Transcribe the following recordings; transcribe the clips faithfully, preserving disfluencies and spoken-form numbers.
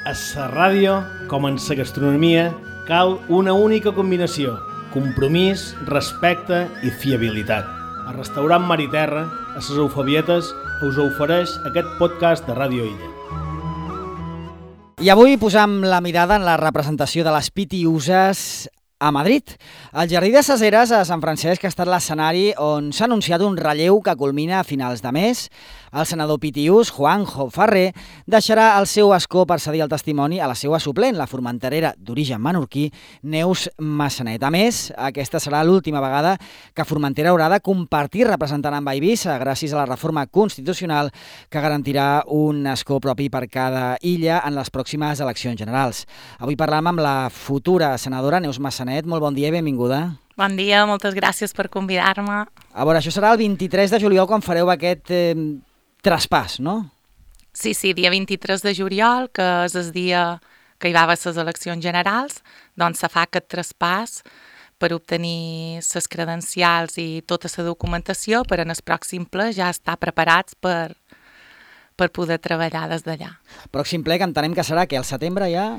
A la ràdio, com en la gastronomia, cal una única combinació: compromís, respecte i fiabilitat. El restaurant Mar i Terra, a les Eufebietes, us ofereix aquest podcast de Ràdio Illa. I avui posam la mirada en la representació de les Pitiüses a Madrid. El Jardí de ses Eres a Sant Francesc ha estat l'escenari on s'ha anunciat un relleu que culmina a finals de mes. El senador pitiús, Juanjo Ferrer, deixarà el seu escó per cedir el testimoni a la seva suplent, la formenterera d'origen menorquí, Neus Massanet. A més, aquesta serà l'última vegada que Formentera haurà de compartir representant amb Eivissa, gràcies a la reforma constitucional que garantirà un escó propi per cada illa en les pròximes eleccions generals. Avui parlam amb la futura senadora Neus Massanet. Molt bon dia i benvinguda. Bon dia, moltes gràcies per convidar-me. A veure, això serà el vint-i-tres de juliol quan fareu aquest eh, traspàs, no? Sí, sí, dia vint-i-tres de juliol, que és el dia que hi va haver les eleccions generals, doncs se fa aquest traspàs per obtenir les credencials i tota la documentació per en el pròxim ple ja estar preparats per, per poder treballar des d'allà. Pròxim ple que entenem que serà que al setembre ja...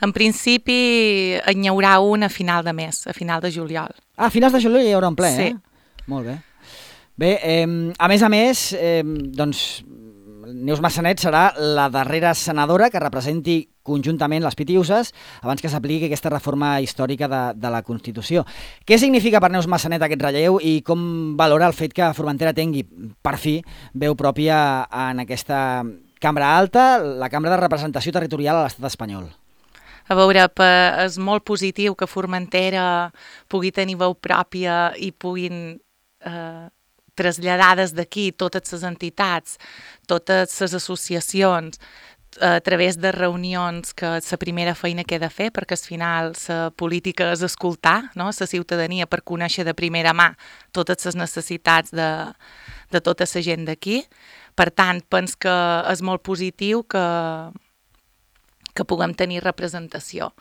En principi n'hi haurà un a final de mes, a final de juliol. Ah, a finals de juliol hi haurà un ple, sí. Eh? Molt bé. Bé, eh, a més a més, eh, doncs, Neus Massanet serà la darrera senadora que representi conjuntament les Pitiüses abans que s'apliqui aquesta reforma històrica de, de la Constitució. Què significa per Neus Massanet aquest relleu i com valora el fet que Formentera tingui, per fi, veu pròpia en aquesta cambra alta, la cambra de representació territorial a l'estat espanyol? A veure, és molt positiu que Formentera pugui tenir veu pròpia i puguin eh, traslladar des d'aquí totes les entitats, totes les associacions, a través de reunions, que és la primera feina que he de fer, perquè al final la política és escoltar, no?, la ciutadania, per conèixer de primera mà totes les necessitats de, de tota la gent d'aquí. Per tant, penso que és molt positiu que que puguem tenir representació.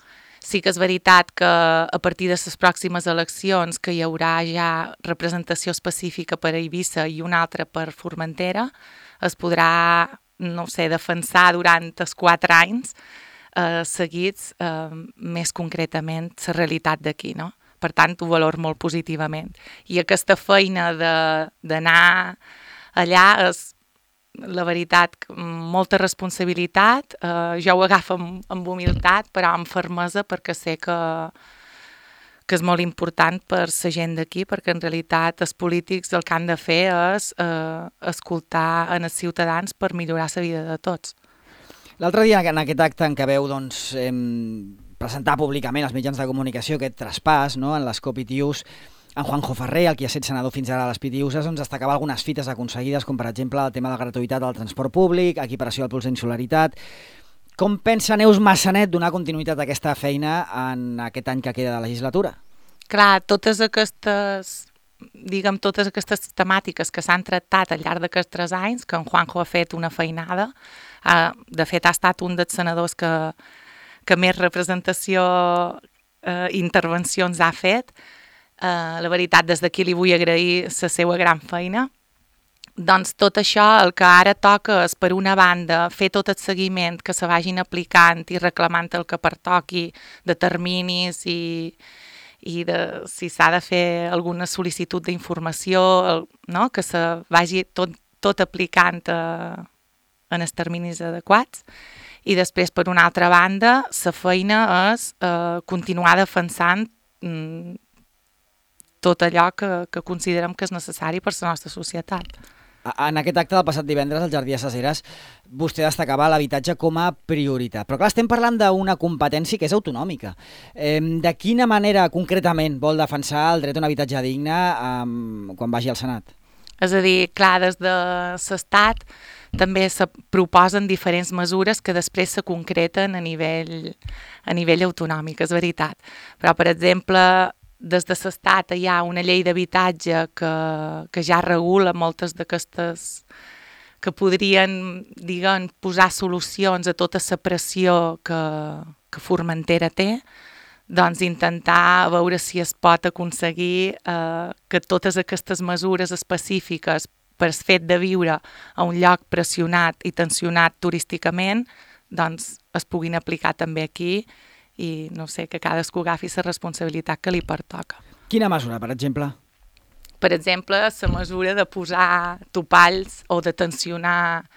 Sí que és veritat que a partir de les pròximes eleccions que hi haurà ja representació específica per a Eivissa i una altra per Formentera, es podrà, no sé, defensar durant els quatre anys eh, seguits eh, més concretament la realitat d'aquí, no? Per tant, ho valor molt positivament. I aquesta feina d'anar allà és, la veritat, molta responsabilitat, eh, jo ho agafo amb, amb humilitat, però amb fermesa, perquè sé que, que és molt important per la gent d'aquí, perquè en realitat els polítics el que han de fer és eh, escoltar en els ciutadans per millorar la vida de tots. L'altre dia, en aquest acte en què veu doncs, eh, presentar públicament als mitjans de comunicació aquest traspàs, no?, en l'escó Pitiús, en Juanjo Ferrer, el qui ha estat senador fins ara a les Pitiüses, doncs destacava algunes fites aconseguides, com per exemple el tema de la gratuïtat del transport públic, equiparació al pols d'insularitat. Com pensa Neus Massanet donar continuïtat a aquesta feina en aquest any que queda de legislatura? Clar, totes aquestes, diguem, totes aquestes temàtiques que s'han tractat al llarg d'aquests tres anys, que en Juanjo ha fet una feinada, eh, de fet ha estat un dels senadors que, que més representació i eh, intervencions ha fet. Uh, la veritat, des d'aquí li vull agrair la seva gran feina. Doncs tot això el que ara toca és, per una banda, fer tot el seguiment que se vagin aplicant i reclamant el que pertoqui de terminis i, i de, si s'ha de fer alguna sol·licitud d'informació, no?, que se vagi tot, tot aplicant uh, en els terminis adequats. I després, per una altra banda, la feina és uh, continuar defensant um, tot allò que, que considerem que és necessari per la nostra societat. En aquest acte del passat divendres al Jardí de ses Eres, vostè destacava l'habitatge com a prioritat. Però clar, estem parlant d'una competència que és autonòmica. Eh, de quina manera concretament vol defensar el dret a un habitatge digne eh, quan vagi al Senat? És a dir, clar, des de l'Estat també se proposen diferents mesures que després se concreten a nivell, a nivell autonòmic, és veritat. Però, per exemple, des de l'Estat hi ha una llei d'habitatge que, que ja regula moltes d'aquestes, que podrien, diguem, posar solucions a tota la pressió que, que Formentera té, doncs intentar veure si es pot aconseguir eh, que totes aquestes mesures específiques per el fet de viure a un lloc pressionat i tensionat turísticament doncs es puguin aplicar també aquí i, no sé, que cadascú agafi la responsabilitat que li pertoca. Quina mesura, per exemple? Per exemple, la mesura de posar topalls o de tensionar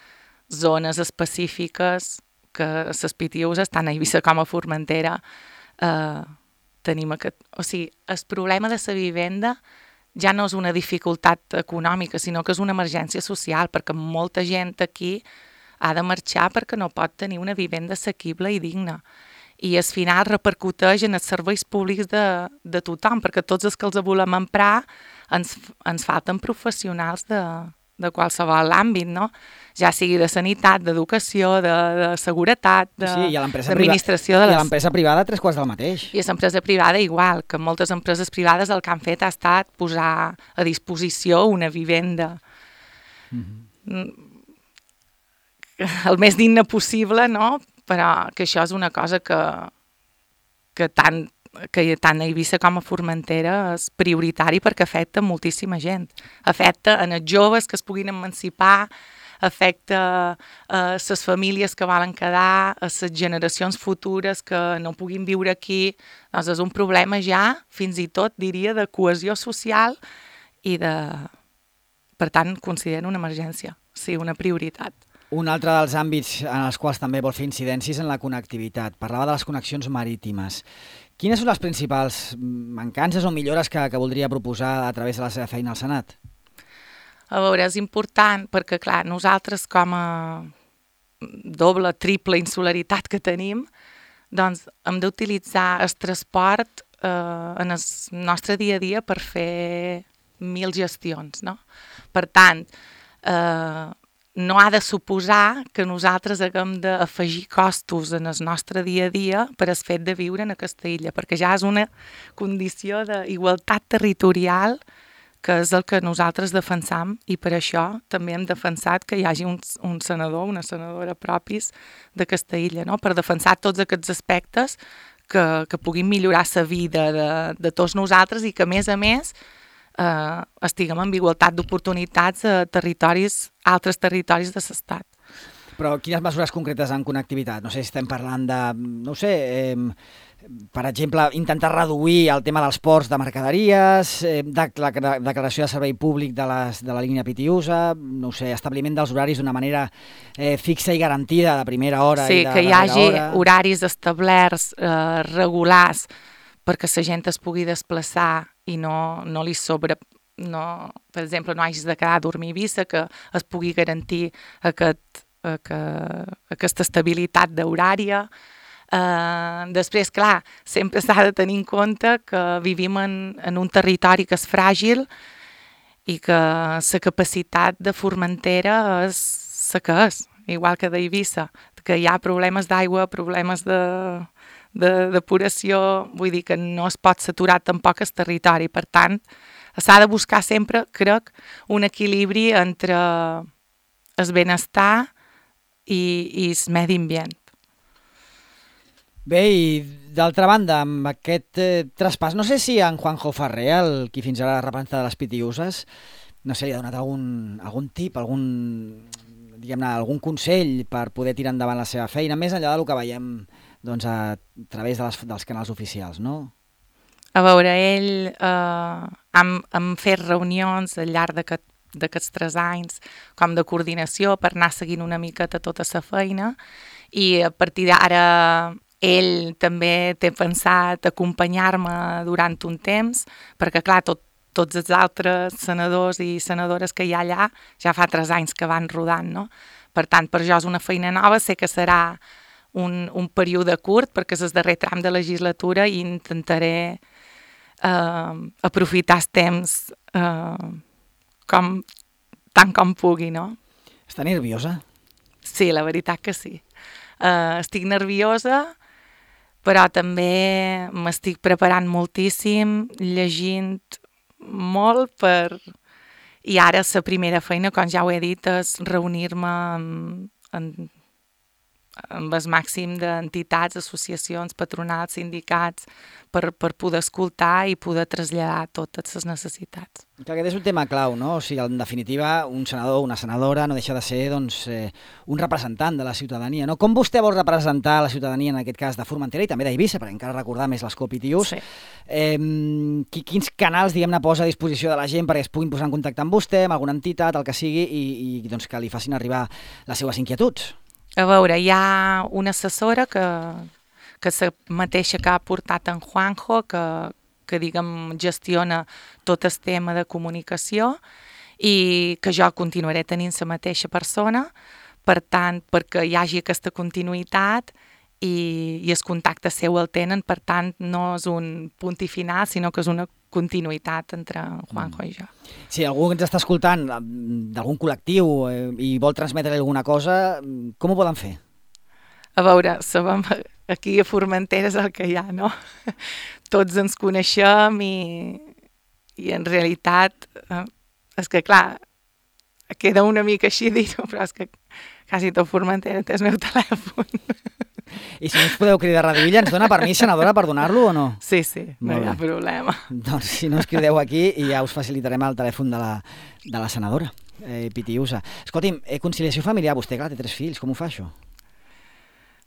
zones específiques que les pitiuses, tant a Eivissa com a Formentera, eh, tenim aquest... O sigui, el problema de la vivenda ja no és una dificultat econòmica, sinó que és una emergència social, perquè molta gent aquí ha de marxar perquè no pot tenir una vivenda assequible i digna. I al final repercuteix en els serveis públics de, de tothom, perquè tots els que els volem emprar ens, ens falten professionals de, de qualsevol àmbit, no? Ja sigui de sanitat, d'educació, de, de seguretat, de, sí, d'administració. De les... I les... a l'empresa privada tres quarts del mateix. I a l'empresa privada igual, que moltes empreses privades el que han fet ha estat posar a disposició una vivenda mm-hmm. el més digne possible, no? Però que això és una cosa que, que, tant, que tant a Eivissa com a Formentera és prioritari perquè afecta moltíssima gent. Afecta en els joves que es puguin emancipar, afecta a les famílies que volen quedar, a les generacions futures que no puguin viure aquí. Doncs és un problema ja, fins i tot, diria, de cohesió social i de... Per tant, considero una emergència, sí, una prioritat. Un altre dels àmbits en els quals també vol fer incidències en la connectivitat. Parlava de les connexions marítimes. Quines són les principals mancances o millores que, que voldria proposar a través de la seva feina al Senat? A veure, és important perquè, clar, nosaltres com a doble, triple insularitat que tenim, doncs hem d'utilitzar el transport eh, en el nostre dia a dia per fer mil gestions, no? Per tant, eh, no ha de suposar que nosaltres haguem d'afegir costos en el nostre dia a dia per el fet de viure en aquesta illa, perquè ja és una condició d'igualtat territorial que és el que nosaltres defensam i per això també hem defensat que hi hagi un, un senador, una senadora propis d'aquesta illa, no? Per defensar tots aquests aspectes que, que puguin millorar la vida de, de tots nosaltres i que, a més a més, eh, estiguem en igualtat d'oportunitats a territoris, altres territoris de l'estat. Però quines mesures concretes en connectivitat? No sé si estem parlant de, no sé, eh, per exemple, intentar reduir el tema dels ports de mercaderies, eh, de, la declaració de servei públic de, les, de la línia Pitiusa, no sé, establiment dels horaris d'una manera eh, fixa i garantida de primera hora sí, i de que hi hagi hora. Horaris establerts, eh, regulars, perquè la gent es pugui desplaçar i no, no li sobre... No, per exemple, no hagis de quedar a dormir a Eivissa, que es pugui garantir aquest, aquest, aquesta estabilitat d'horària. Uh, després, clar, sempre s'ha de tenir en compte que vivim en, en un territori que és fràgil i que la capacitat de Formentera és la que és, igual que d'Eivissa, que hi ha problemes d'aigua, problemes de... de depuració, vull dir que no es pot saturar tampoc el territori. Per tant, s'ha de buscar sempre, crec, un equilibri entre el benestar i, i el medi ambient. Bé, i d'altra banda, amb aquest eh, traspàs, no sé si en Juanjo Ferrer, el qui fins ara representa de les Pitiuses, no sé, li ha donat algun, algun tip, algun, diguem-ne, algun consell per poder tirar endavant la seva feina, més enllà del que veiem doncs, a través de les, dels canals oficials, no? A veure, ell eh, hem, hem fet reunions al llarg d'aquest, d'aquests tres anys com de coordinació per anar seguint una miqueta tota la feina i a partir d'ara ell també té pensat acompanyar-me durant un temps perquè, clar, tot, tots els altres senadors i senadores que hi ha allà ja fa tres anys que van rodant, no? Per tant, per jo és una feina nova, sé que serà un, un període curt perquè és el darrer tram de legislatura i intentaré eh, aprofitar el temps eh, com, tant com pugui, no? Està nerviosa? Sí, la veritat que sí. Uh, estic nerviosa, però també m'estic preparant moltíssim, llegint molt per... I ara la primera feina, com ja ho he dit, és reunir-me amb, amb, amb el màxim d'entitats, associacions, patronals, sindicats, per, per poder escoltar i poder traslladar totes les necessitats. Que aquest és un tema clau, no? O sigui, en definitiva, un senador o una senadora no deixa de ser doncs, eh, un representant de la ciutadania, no? Com vostè vol representar la ciutadania, en aquest cas de Formentera i també d'Eivissa, perquè encara recordar més les COP I T Us, Sí. eh, quins canals, diguem-ne, posa a disposició de la gent perquè es puguin posar en contacte amb vostè, amb alguna entitat, el que sigui, i, i doncs, que li facin arribar les seues inquietuds? A veure, hi ha una assessora que, que és la mateixa que ha portat en Juanjo, que, que diguem, gestiona tot el tema de comunicació i que jo continuaré tenint la mateixa persona, per tant, perquè hi hagi aquesta continuïtat i, i el contacte seu el tenen, per tant, no és un punt i final, sinó que és una continuïtat entre Juanjo mm. i jo. Si algú ens està escoltant d'algun col·lectiu eh, i vol transmetre alguna cosa, com ho poden fer? A veure, sabem, aquí a Formentera és el que hi ha, no? Tots ens coneixem i, i en realitat eh, és que, clar, queda una mica així dir-ho, però és que quasi tot Formentera té el meu telèfon. I si no us podeu cridar a Radio Illa, ens dona permís, senadora, per donar-lo o no? Sí, sí, no Molt hi ha bé. problema. Doncs si no us crideu aquí i ja us facilitarem el telèfon de la, de la senadora, eh, Pitiusa. Escolti'm, eh, conciliació familiar, vostè, clar, té tres fills, com ho fa això?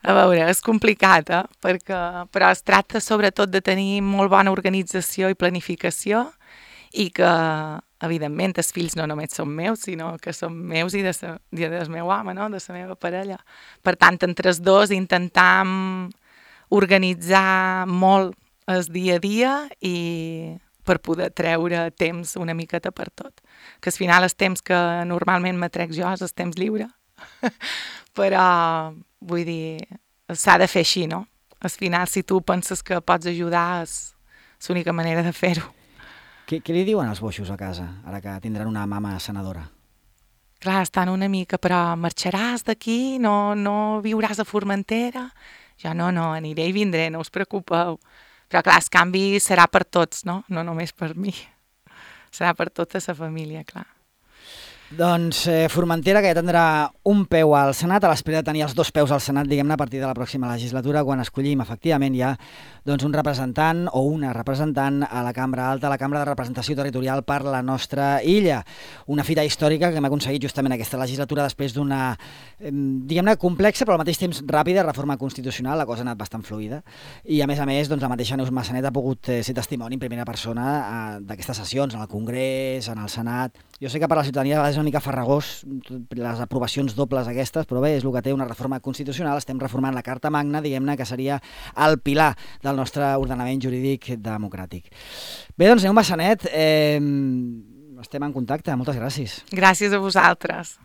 A veure, és complicat, eh? Perquè, però es tracta sobretot de tenir molt bona organització i planificació i que, evidentment, els fills no només són meus, sinó que són meus i de sa, i del meu home, no? De la meva parella. Per tant, entre els dos intentam organitzar molt el dia a dia i per poder treure temps una miqueta per tot. Que al final el temps que normalment m'atrec jo és el temps lliure. Però, vull dir, s'ha de fer així, no? Al final, si tu penses que pots ajudar, és l'única manera de fer-ho. Què, què li diuen els boixos a casa, ara que tindran una mama senadora? Clar, estan una mica, però marxaràs d'aquí? No, no viuràs a Formentera? Jo no, no, aniré i vindré, no us preocupeu. Però clar, el canvi serà per tots, no? No només per mi. Serà per tota la família, clar. Doncs eh, Formentera, que ja tindrà un peu al Senat, a l'espera de tenir els dos peus al Senat, diguem-ne, a partir de la pròxima legislatura, quan escollim efectivament ja doncs, un representant o una representant a la Cambra Alta, a la Cambra de Representació Territorial per la nostra illa. Una fita històrica que hem aconseguit justament aquesta legislatura després d'una, eh, diguem-ne, complexa, però al mateix temps ràpida reforma constitucional. La cosa ha anat bastant fluida. I a més a més, doncs, la mateixa Neus Massanet ha pogut eh, ser testimoni en primera persona eh, d'aquestes sessions, en el Congrés, en el Senat. Jo sé que per la ciutadania a vegades és una mica farragós les aprovacions dobles aquestes, però bé, és el que té una reforma constitucional. Estem reformant la Carta Magna, diguem-ne, que seria el pilar del nostre ordenament jurídic democràtic. Bé, doncs, Neus Massanet, eh, estem en contacte. Moltes gràcies. Gràcies a vosaltres.